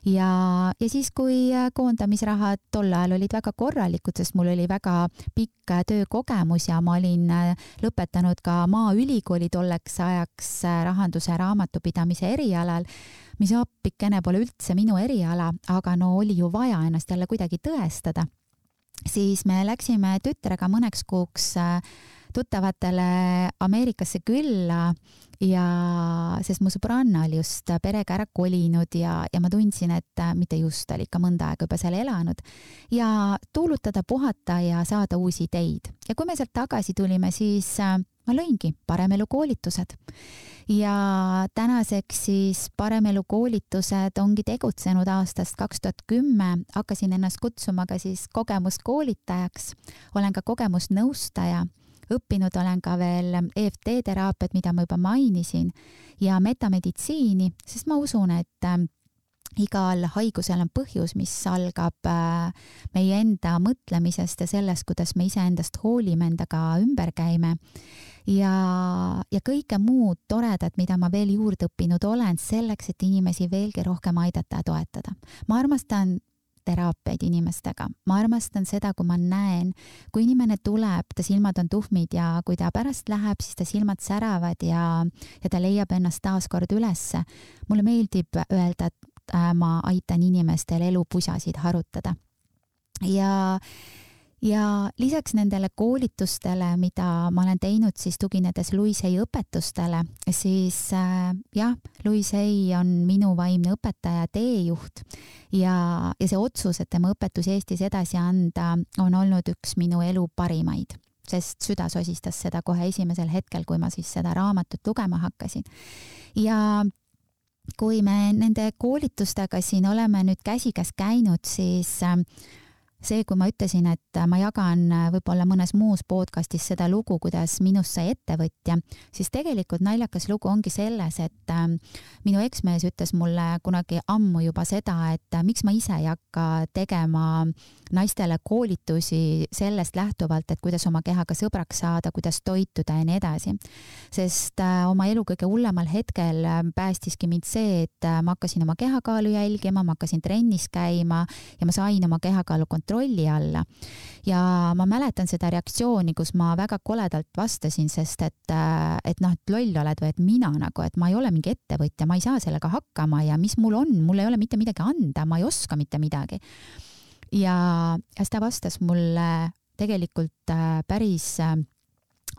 ja siis, kui koondamisrahad tol ajal olid väga korralikud, sest mul oli väga pikk töökogemus ja ma olin lõpetanud ka Maaülikooli tolleks ajaks rahanduse raamatupidamise erialal, mis appikene pole üldse minu eriala, aga no oli ju vaja ennast jälle kuidagi tõestada. Siis me läksime tütrega mõneks kuuks tuttavatele Ameerikasse külla ja sest mu sõbranna oli just perega ära kolinud ja ma tundsin, et mitte just, oli ikka mõnda aega juba seal elanud ja tuulutada, puhata ja saada uusi ideid. Ja kui me sealt tagasi tulime, siis ma lõingi Paremelu koolitused. Ja tänaseks siis Paremelu koolitused ongi tegutsenud aastast 2010, hakkasin ennast kutsuma ka siis kogemuskoolitajaks, olen ka kogemusnõustaja, õppinud olen ka veel EFT teraapiat, mida ma juba mainisin, ja metameditsiini, sest ma usun, et igal haigusel on põhjus, mis algab meie enda mõtlemisest ja sellest, kuidas me iseendast hoolime, endaga ümber käime. Ja kõike muud toredat, mida ma veel juurde õppinud olen, selleks, et inimesi veelgi rohkem aidata ja toetada. Ma armastan teraapiaid inimestega. Ma armastan seda, kui ma näen, kui inimene tuleb, ta silmad on tuhmid ja kui ta pärast läheb, siis ta silmad säravad ja ta leiab ennast taas kord ülesse. Mulle meeldib öelda, et ma aitan inimestel elupusasid harutada. Ja ja lisaks nendele koolitustele, mida ma olen teinud siis tuginedes Louise Hay õpetustele, siis Louise Hay on minu vaimne õpetaja, teejuht ja see otsus, et tema õpetusi Eestis edasi anda, on olnud üks minu elu parimaid, sest süda sosistas seda kohe esimesel hetkel, kui ma siis seda raamatut lugema hakkasin. Ja kui me nende koolitustega siin oleme nüüd käsikäes käinud, siis see, kui ma ütlesin, et ma jagan võib-olla mõnes muus podcastis seda lugu, kuidas minust sai ettevõtja, siis tegelikult naljakas lugu ongi selles, et minu eksmees ütles mulle kunagi ammu juba seda, et miks ma ise ei hakka tegema naistele koolitusi sellest lähtuvalt, et kuidas oma kehaga sõbraks saada, kuidas toituda ja nii edasi. Sest oma elu kõige hullemal hetkel päästiski mind see, et ma hakkasin oma kehakaalu jälgima, ma hakkasin trennis käima ja ma sain oma kehakaalu kontrolli alla. Ja ma mäletan seda reaktsiooni, kus ma väga koledalt vastasin, sest et loll oled või et mina et ma ei ole mingi ettevõtja, ma ei saa sellega hakkama ja mis mul on, mul ei ole mitte midagi anda, ma ei oska mitte midagi. Ja ta vastas mulle tegelikult päris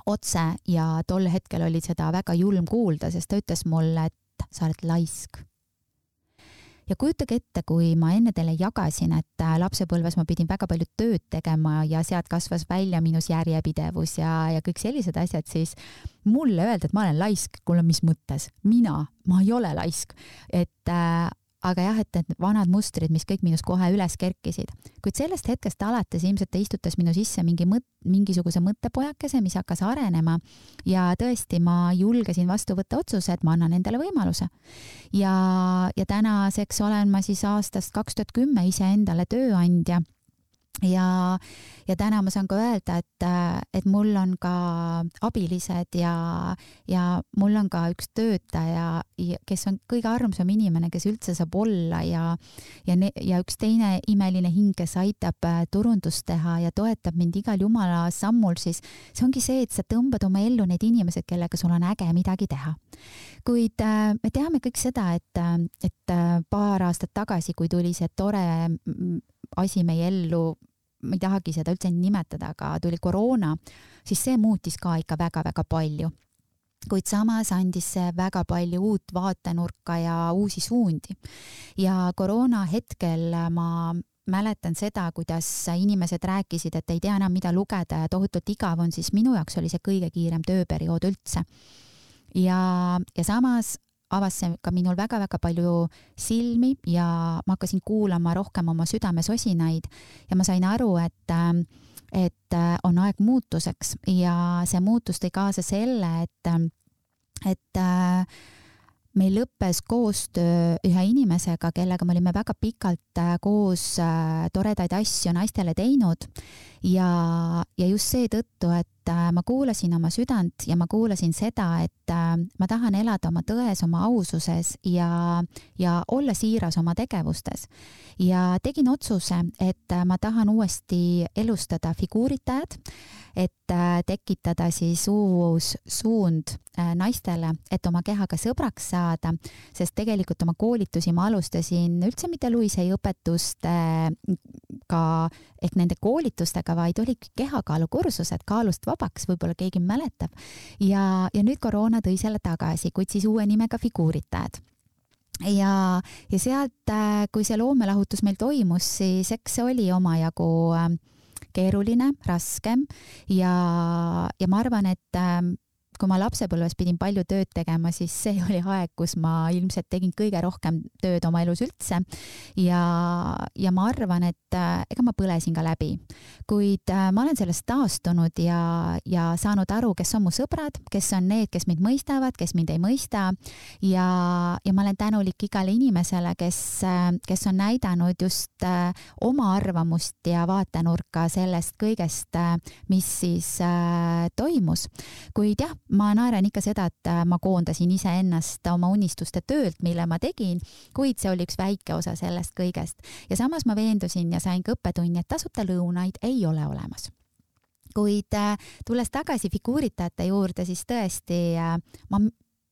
otse ja tol hetkel oli seda väga julm kuulda, sest ta ütles mulle, et sa oled laisk. Ja kujutage ette, kui ma enne teile jagasin, et lapsepõlves ma pidin väga palju tööd tegema ja sealt kasvas välja minus järjepidevus ja kõik sellised asjad, siis mulle öelda, et ma olen laisk, kuule, mis mõttes? Ma ei ole laisk. Aga jah, et need vanad mustrid, mis kõik minus kohe üles kerkisid. Kuid sellest hetkest alates ilmselt ta istutas minu sisse mingisuguse mõttepojakese, mis hakkas arenema ja tõesti ma julgesin vastu võtta otsuse, et ma annan endale võimaluse. Ja tänaseks olen ma siis aastast 2010 ise endale tööandja. Ja täna ma saan ka öelda, et mul on ka abilised ja mul on ka üks töötaja, kes on kõige armsam inimene, kes üldse saab olla ja üks teine imeline hing, kes aitab turundust teha ja toetab mind igal jumala sammul, siis see ongi see, et sa tõmbad oma ellu need inimesed, kellega sul on äge midagi teha. Kuid me teame kõik seda, et paar aastat tagasi, kui tuli see tore asi meie ellu, ma ei tahagi seda üldse nimetada, aga tuli koroona, siis see muutis ka ikka väga-väga palju. Kuid samas andis see väga palju uut vaatenurka ja uusi suundi. Ja koroona hetkel ma mäletan seda, kuidas inimesed rääkisid, et ei tea enam mida lugeda ja tohutult igav on, siis minu jaoks oli see kõige kiirem tööperiood üldse. Ja samas avas see ka minul väga-väga palju silmi ja ma hakkasin kuulama rohkem oma südame sosinaid ja ma sain aru, et on aeg muutuseks ja see muutus tõi kaasa selle, et meil lõppes koostöö ühe inimesega, kellega me olime väga pikalt koos toredaid asju naistele teinud ja just seetõttu, et ma kuulasin oma südant ja ma kuulasin seda, et ma tahan elada oma tões, oma aususes ja olla siiras oma tegevustes. Ja tegin otsuse, et ma tahan uuesti elustada figuuritajad, et tekitada siis uus suund naistele, et oma kehaga sõbraks saada, sest tegelikult oma koolitusi ma alustasin üldse mitte Louise Hay õpetustega ehk nende koolitustega, vaid olid kehakaalukursused Kaalust vabaks, võib-olla keegi mäletab. Ja nüüd koroona tõi selle tagasi, kuid siis uue nimega figuuritajad. Ja sealt, kui see loomelahutus meil toimus, siis eks see oli omajagu keeruline, raskem ja ma arvan, et kui ma lapsepõlves pidin palju tööd tegema, siis see oli aeg, kus ma ilmselt tegin kõige rohkem tööd oma elus üldse ja ma arvan, et ega ma põlesin ka läbi. Kuid ma olen sellest taastunud ja saanud aru, kes on mu sõbrad, kes on need, kes mind mõistavad, kes mind ei mõista ja ma olen tänulik igale inimesele, kes on näidanud just oma arvamust ja vaatenurka sellest kõigest, mis siis toimus. Kuid jah, ma naeran ikka seda, et ma koondasin iseennast oma unistuste töölt, mille ma tegin, kuid see oli üks väike osa sellest kõigest. Ja samas ma veendusin ja sain ka õppetunni, et tasuta lõunaid ei ole olemas. Kuid tulles tagasi figuuritajate juurde, siis tõesti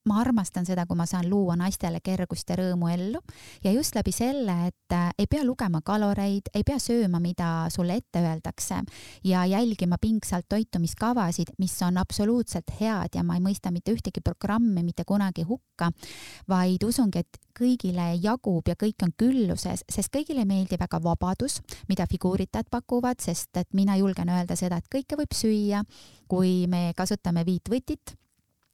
ma armastan seda, kui ma saan luua naistele kergust ja rõõmu ellu ja just läbi selle, et ei pea lugema kaloreid, ei pea sööma, mida sulle ette öeldakse ja jälgima pingsalt toitumiskavasid, mis on absoluutselt head ja ma ei mõista mitte ühtegi programmi mitte kunagi hukka, vaid usungi, et kõigile jagub ja kõik on külluses, sest kõigile meeldib väga vabadus, mida figuuritajad pakuvad, sest et mina julgen öelda seda, et kõike võib süüa, kui me kasutame 5 võtit.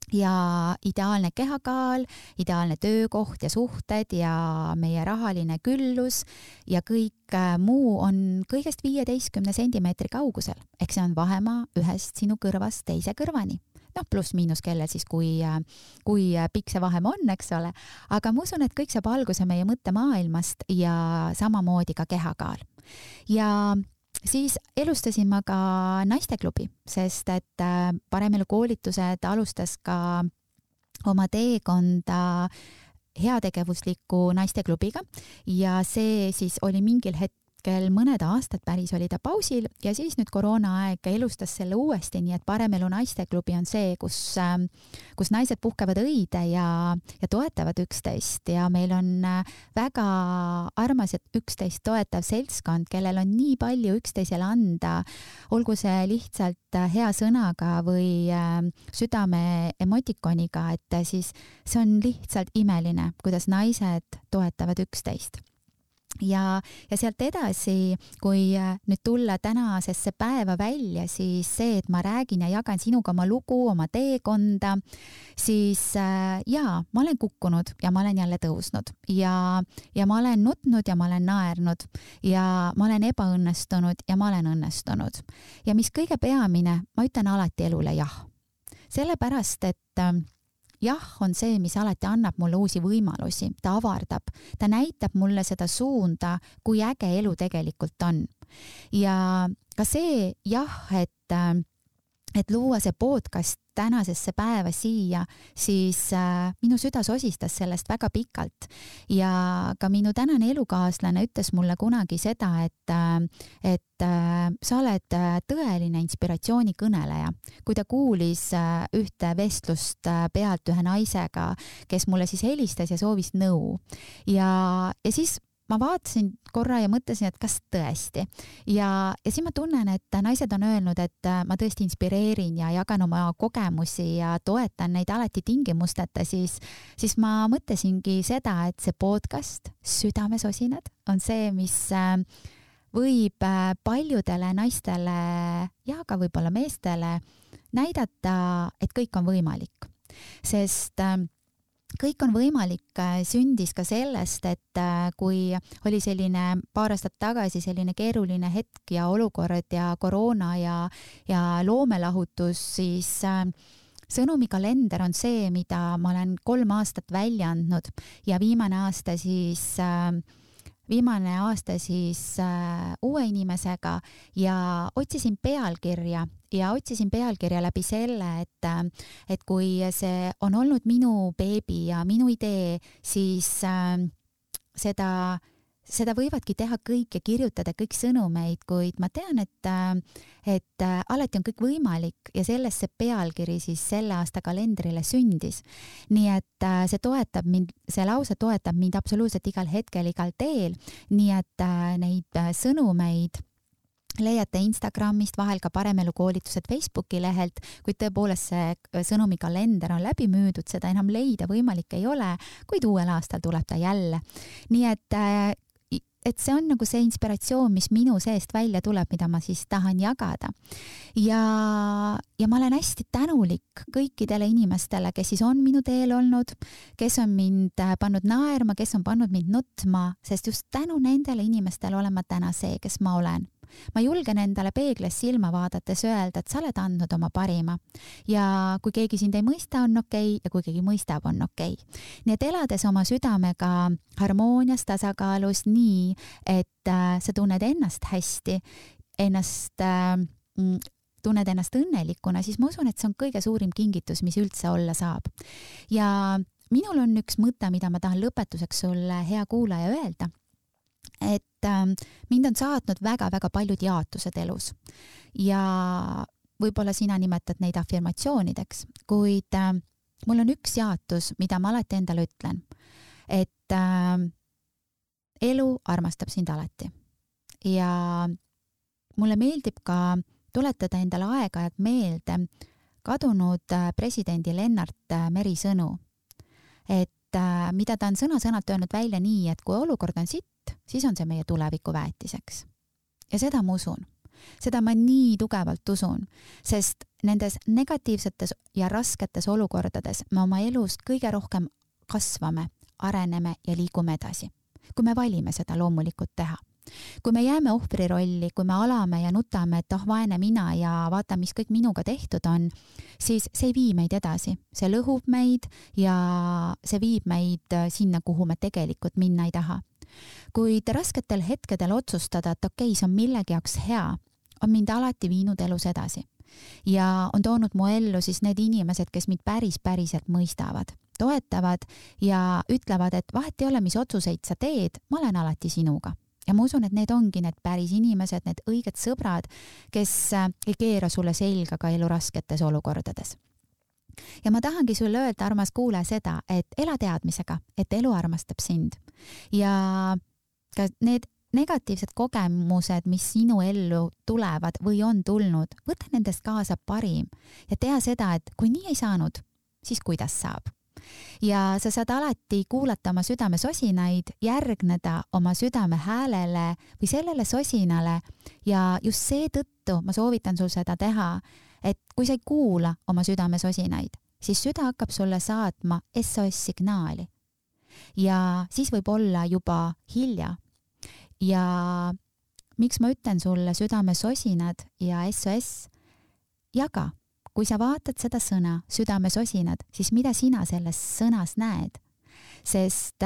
Ja ideaalne kehakaal, ideaalne töökoht ja suhted ja meie rahaline küllus ja kõik muu on kõigest 15 sentimeetri kaugusel. Ehk see on vahemaa ühest sinu kõrvast teise kõrvani. Pluss miinus kellel siis, kui pikk see vahemaa on, eks ole. Aga ma usun, et kõik saab alguse meie mõttemaailmast ja samamoodi ka kehakaal. Ja siis elustasin ma ka naisteklubi, sest et Paremelu koolitused alustas ka oma teekonda heategevusliku naisteklubiga ja see siis oli mingil hetkel mõned aastad päris oli ta pausil ja siis nüüd koroonaaeg elustas selle uuesti, nii et Paremelu naisteklubi on see, kus naised puhkevad õide ja toetavad üksteist ja meil on väga armas ja üksteist toetav seltskond, kellel on nii palju üksteisele anda, olgu see lihtsalt hea sõnaga või südame emotikoniga, et siis see on lihtsalt imeline, kuidas naised toetavad üksteist. Ja sealt edasi, kui nüüd tulla tänasesse päeva välja, siis see, et ma räägin ja jagan sinuga oma lugu, oma teekonda, siis jaa, ma olen kukkunud ja ma olen jälle tõusnud ja ma olen nutnud ja ma olen naernud ja ma olen ebaõnnestunud ja ma olen õnnestunud. Ja mis kõige peamine, ma ütlen alati elule jah. Sellepärast, et jah on see, mis alati annab mulle uusi võimalusi, ta avardab, ta näitab mulle seda suunda, kui äge elu tegelikult on. Ja ka see jah, et luua see podcast tänasesse päeva siia, siis minu süda sosistas sellest väga pikalt ja ka minu tänane elukaaslane ütles mulle kunagi seda, et sa oled tõeline inspiratsioonikõneleja. Kui ta kuulis ühte vestlust pealt ühe naisega, kes mulle siis helistas ja soovis nõu ja siis ma vaatasin korra ja mõtlesin, et kas tõesti. Ja siis ma tunnen, et naised on öelnud, et ma tõesti inspireerin ja jagan oma kogemusi ja toetan neid alati tingimusteta, siis ma mõtlesingi seda, et see podcast Südamesosinad on see, mis võib paljudele naistele ja ka võib-olla meestele näidata, et kõik on võimalik. Sest kõik on võimalik sündis ka sellest, et kui oli selline paar aastat tagasi selline keeruline hetk ja olukord ja koroona ja loomelahutus, siis sõnumikalender on see, mida ma olen 3 aastat välja andnud ja viimane aasta siis uue inimesega ja otsisin pealkirja läbi selle, et kui see on olnud minu beebi ja minu idee, siis seda võivadki teha kõik ja kirjutada kõik sõnumeid, kuid ma tean, et alati on kõik võimalik ja sellest see pealkiri siis selle aasta kalendrile sündis. Nii et see lause toetab mind absoluutselt igal hetkel, igal teel, nii et neid sõnumeid leiate Instagramist, vahel ka Paremelu koolitused Facebooki lehelt, kuid tõepoolest see sõnumikalender on läbi müüdud, seda enam leida võimalik ei ole, kuid uuel aastal tuleb ta jälle. Nii et see on nagu see inspiratsioon, mis minu seest välja tuleb, mida ma siis tahan jagada. Ja ma olen hästi tänulik kõikidele inimestele, kes siis on minu teel olnud, kes on mind pannud naerma, kes on pannud mind nutma, sest just tänu nendele inimestele olen ma täna see, kes ma olen. Ma julgen endale peegles silma vaadates öelda, et sa oled andnud oma parima ja kui keegi sind ei mõista, on okei, ja kui keegi mõistab, on okei. Nii et elades oma südamega harmoonias, tasakaalus nii, et sa tunned ennast hästi, tunned ennast õnnelikuna, siis ma usun, et see on kõige suurim kingitus, mis üldse olla saab. Ja minul on üks mõte, mida ma tahan lõpetuseks sulle, hea kuulaja, öelda. Et mind on saatnud väga-väga paljud jaotused elus ja võib-olla sina nimetad neid afirmatsioonideks, kuid mul on üks jaatus, mida ma alati endale ütlen, et elu armastab sind alati. Ja mulle meeldib ka tuletada endale aeg-ajalt meelde kadunud presidendi Lennart Meri sõnu, et mida ta on sõna-sõnalt öelnud välja nii, et kui olukord on sitt, siis on see meie tuleviku väetiseks. Ja seda ma usun. Seda ma nii tugevalt usun, sest nendes negatiivsetes ja rasketes olukordades me oma elust kõige rohkem kasvame, areneme ja liigume edasi. Kui me valime seda loomulikult teha. Kui me jääme ohvri rolli, kui me alame ja nutame, et vaene mina ja vaata, mis kõik minuga tehtud on, siis see ei vii meid edasi. See lõhub meid ja see viib meid sinna, kuhu me tegelikult minna ei taha. Kuid rasketel hetkedel otsustada, et okei, see on millegi jaoks hea, on mind alati viinud elus edasi. Ja on toonud mu ellu siis need inimesed, kes mind päriselt mõistavad, toetavad ja ütlevad, et vahet ei ole, mis otsuseid sa teed, ma olen alati sinuga. Ja ma usun, et need ongi need päris inimesed, need õiged sõbrad, kes ei keera sulle selga ka elu rasketes olukordades. Ja ma tahangi sulle öelda, armas kuule seda, et ela teadmisega, et elu armastab sind. Ja ka need negatiivsed kogemused, mis sinu ellu tulevad või on tulnud, võta nendest kaasa parim ja tea seda, et kui nii ei saanud, siis kuidas saab. Ja sa saad alati kuulata oma südame sosinaid, järgneda oma südame häälele või sellele sosinale ja just seetõttu ma soovitan sul seda teha, et kui sa ei kuula oma südame sosinaid, siis süda hakkab sulle saatma SOS-signaali ja siis võib olla juba hilja. Ja miks ma ütlen sulle südame sosinad ja SOS, jaga. Kui sa vaatad seda sõna, südame sosinad, siis mida sina selles sõnas näed? Sest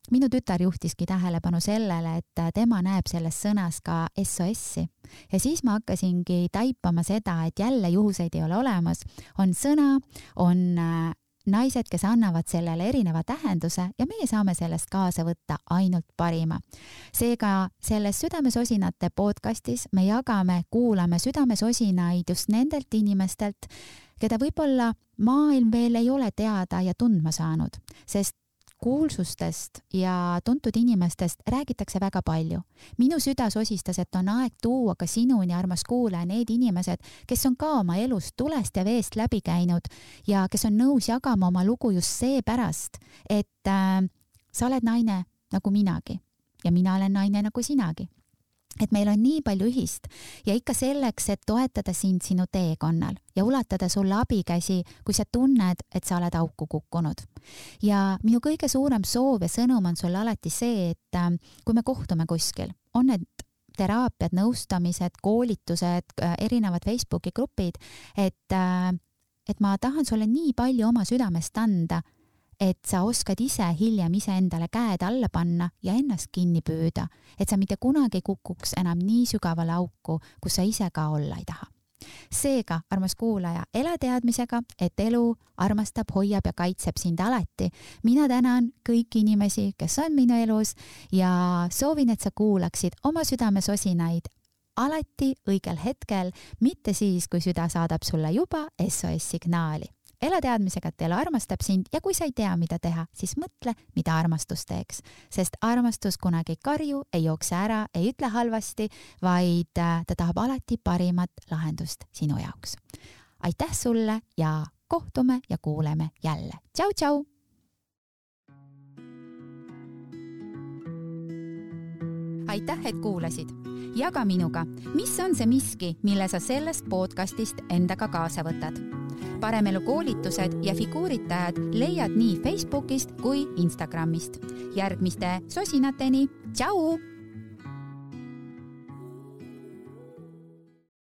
minu tütar juhtiski tähelepanu sellele, et tema näeb selles sõnas ka SOS-i. Ja siis ma hakkasingi taipama seda, et jälle juhuseid ei ole olemas. On sõna, on naised, kes annavad sellele erineva tähenduse ja meie saame sellest kaasa võtta ainult parima. Seega selles Südamesosinate podcastis me jagame, kuulame südamesosinaid just nendelt inimestelt, keda võib-olla maailm veel ei ole teada ja tundma saanud, sest kuulsustest ja tuntud inimestest räägitakse väga palju. Minu süda sosistas, et on aeg tuua ka sinuni, armas kuulaja, need inimesed, kes on ka oma elust tulest ja veest läbi käinud ja kes on nõus jagama oma lugu just seepärast, et sa oled naine nagu minagi ja mina olen naine nagu sinagi. Et meil on nii palju ühist ja ikka selleks, et toetada sind sinu teekonnal ja ulatada sulle abikäsi, kui sa tunned, et sa oled auku kukkunud. Ja minu kõige suurem soov ja sõnum on sulle alati see, et kui me kohtume kuskil, on need teraapiad, nõustamised, koolitused, erinevad Facebooki grupid, et ma tahan sulle nii palju oma südamest anda, et sa oskad ise hiljem endale käed alla panna ja ennast kinni püüda, et sa mitte kunagi kukuks enam nii sügavale auku, kus sa ise ka olla ei taha. Seega, armas kuulaja, ela teadmisega, et elu armastab, hoiab ja kaitseb sind alati. Mina tänan kõiki inimesi, kes on minu elus ja soovin, et sa kuulaksid oma südamesosinaid alati õigel hetkel, mitte siis, kui süda saadab sulle juba SOS-signaali. Ela teadmisega, et elu armastab sind ja kui sa ei tea, mida teha, siis mõtle, mida armastus teeks. Sest armastus kunagi ei karju, ei jookse ära, ei ütle halvasti, vaid ta tahab alati parimat lahendust sinu jaoks. Aitäh sulle ja kohtume ja kuuleme jälle. Tšau, tšau! Aitäh, et kuulasid! Jaga minuga, mis on see miski, mille sa sellest podcastist endaga kaasa võtad. Paremelu koolitused ja figuuritajad leiad nii Facebookist kui Instagramist. Järgmiste sosinateni. Tšau!